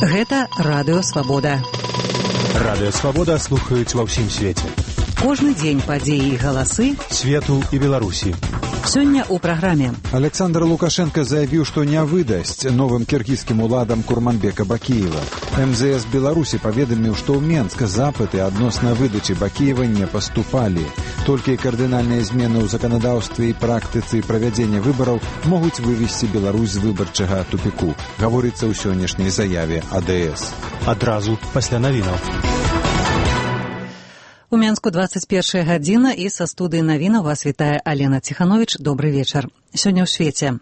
Гэта Радыё Свабода. Радыё Свабода слухаюць ва ўсім свеце. Кожны дзень падзеі і галасы свету і Беларусі. Сёння ў праграме. Александр Лукашенко заявіў, што не выдасць новым кіргізскім уладам Курманбека Бакіева. МЗС Беларусі паведаміў, што ў Менск запыты адносна выдачы Бакіева не паступалі. Толькі кардынальныя змены ў заканадаўстве і практыцы правядзення выбараў могуць вывесці Беларусь з выбарчага тупіку, гаворыцца ў сённяшняй заяве АДС. Адразу пасля навінаў. У Менску 21 гадзіна і са студыі навінаў вас вітае Алена Ціхановіч. Добры вечар. Сёння ў свеце.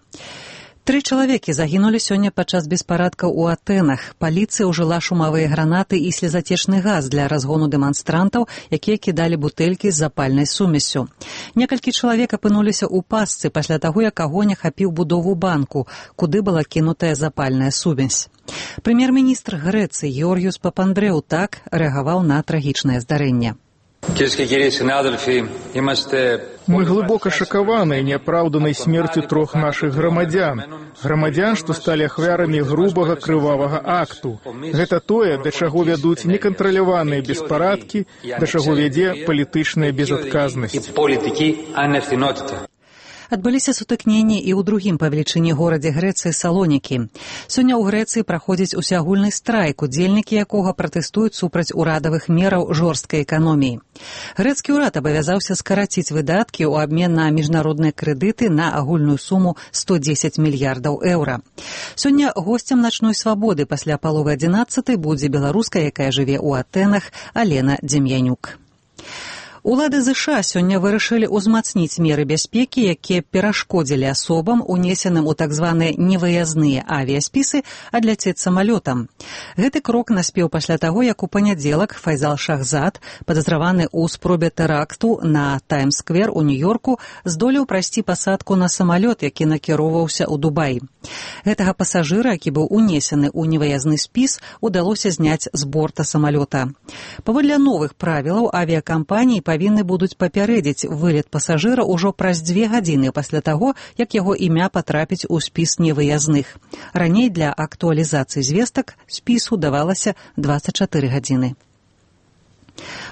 3 чалавекі загінулі сёння падчас беспарадкаў у Атэнах. Паліцыя ўжыла шумавыя гранаты і слезацечны газ для разгону дэманстрантаў, якія кідалі бутэлькі з запальнай сумессю. Некалькі чалавек апынуліся ў пастцы пасля таго, як агонь ахапіў будову банку, куды была кінутая запальная сумесь. Прэм'ер-міністр Грэцыі Георгіус Папандрэу так рэагаваў на трагічнае здарэнне. Мы глубоко шокированы неоправданной смертью 3 наших громадян, что стали ахвярамі грубага крывавага акту. Гэта тое, да чаго вядуць некантраляваныя беспарадкі, да чаго вядзе палітычная безадказнасць. Адбыліся сутыкненні і ў другім па велічыні горадзе Грэцыі Салонікі. Сёння ў Грэцыі праходзіць усеагульны страйк, удзельнікі якога пратэстуюць супраць урадавых мераў жорсткай эканоміі. Грэцкі ўрад абавязаўся скараціць выдаткі ў абмен на міжнародныя крэдыты на агульную суму 110 мільярдаў еўра. Сёння госцем начной свабоды пасля паловы 11 будзе беларуска, якая жыве ў Атэнах, Алена Дем'янюк. Улады ЗША сёння вырашылі ўзмацніць меры бяспекі, якія перашкодзілі асобам, унесеным у так званыя невыязныя авіяспісы, адляцець самалётам. Гэты крок наспеў пасля таго, як у панядзелак Файзал Шахзад, падазраваны ў спробе тэракту на Таймс-сквер у Нью-Йорку, здолеў прайсці пасадку на самалёт, які накіроўваўся ў Дубаі. Гэтага пасажыра, які быў унесены ў невыязны спіс, удалося зняць з борта самалёта. Паводле новых правілаў авіякампаніі павінны будуць папярэдзіць вылет пасажыра ўжо праз 2 гадзіны пасля таго, як яго імя патрапіць у спіс невыязных. Раней для актуалізацыі звестак спісу давалася 24 гадзіны.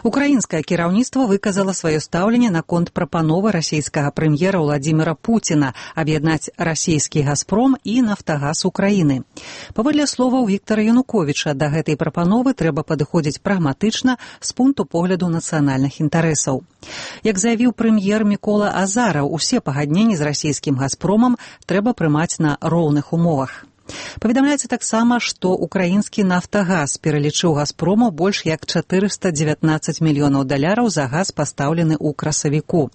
Украінскае кіраўніцтва выказала сваё стаўленне наконт прапановы расійскага прэм'ера Владзіміра Пуціна аб'яднаць расійскі «Газпром» і «Нафтагаз» Украіны. Паводле словаў Віктара Януковіча, да гэтай прапановы трэба падыходзіць прагматычна з пункту погляду нацыянальных інтарэсаў. Як заявіў прэм'ер Мікола Азараў, усе пагадненні з расійскім «Газпромам» трэба прымаць на роўных умовах. Паведамляецца таксама, што украінскі «Нафтагаз» пералічыў «Газпрому» больш як 419 мільёнаў даляраў за газ, пастаўлены ў красавіку.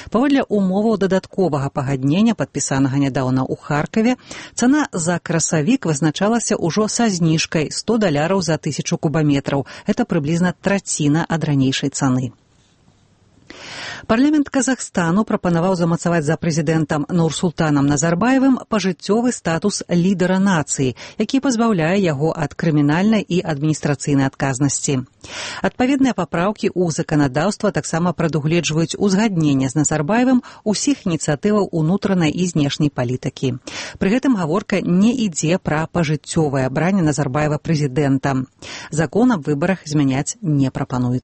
Паводле умоваў дадатковага пагаднення, падпісанага нядаўна ў Харкаве, цана за красавік вызначалася ўжо са зніжкай $100 за 1000 кубаметраў. Гэта прыблізна траціна ад ранейшай цаны. Парламент Казахстану прапанаваў замацаваць за прэзідэнтам Нурсултанам Назарбаевым пажыццёвы статус лідара нацыі, які пазбаўляе яго ад крымінальнай і адміністрацыйнай адказнасці. Адпаведныя папраўкі ў заканадаўства таксама прадугледжваюць узгадненне з Назарбаевым усіх ініцыятываў унутранай і знешняй палітыкі. Пры гэтым гаворка не ідзе пра пажыццёвае абранне Назарбаева прэзідэнтам. Закон аб выбарах змяняць не прапануецца.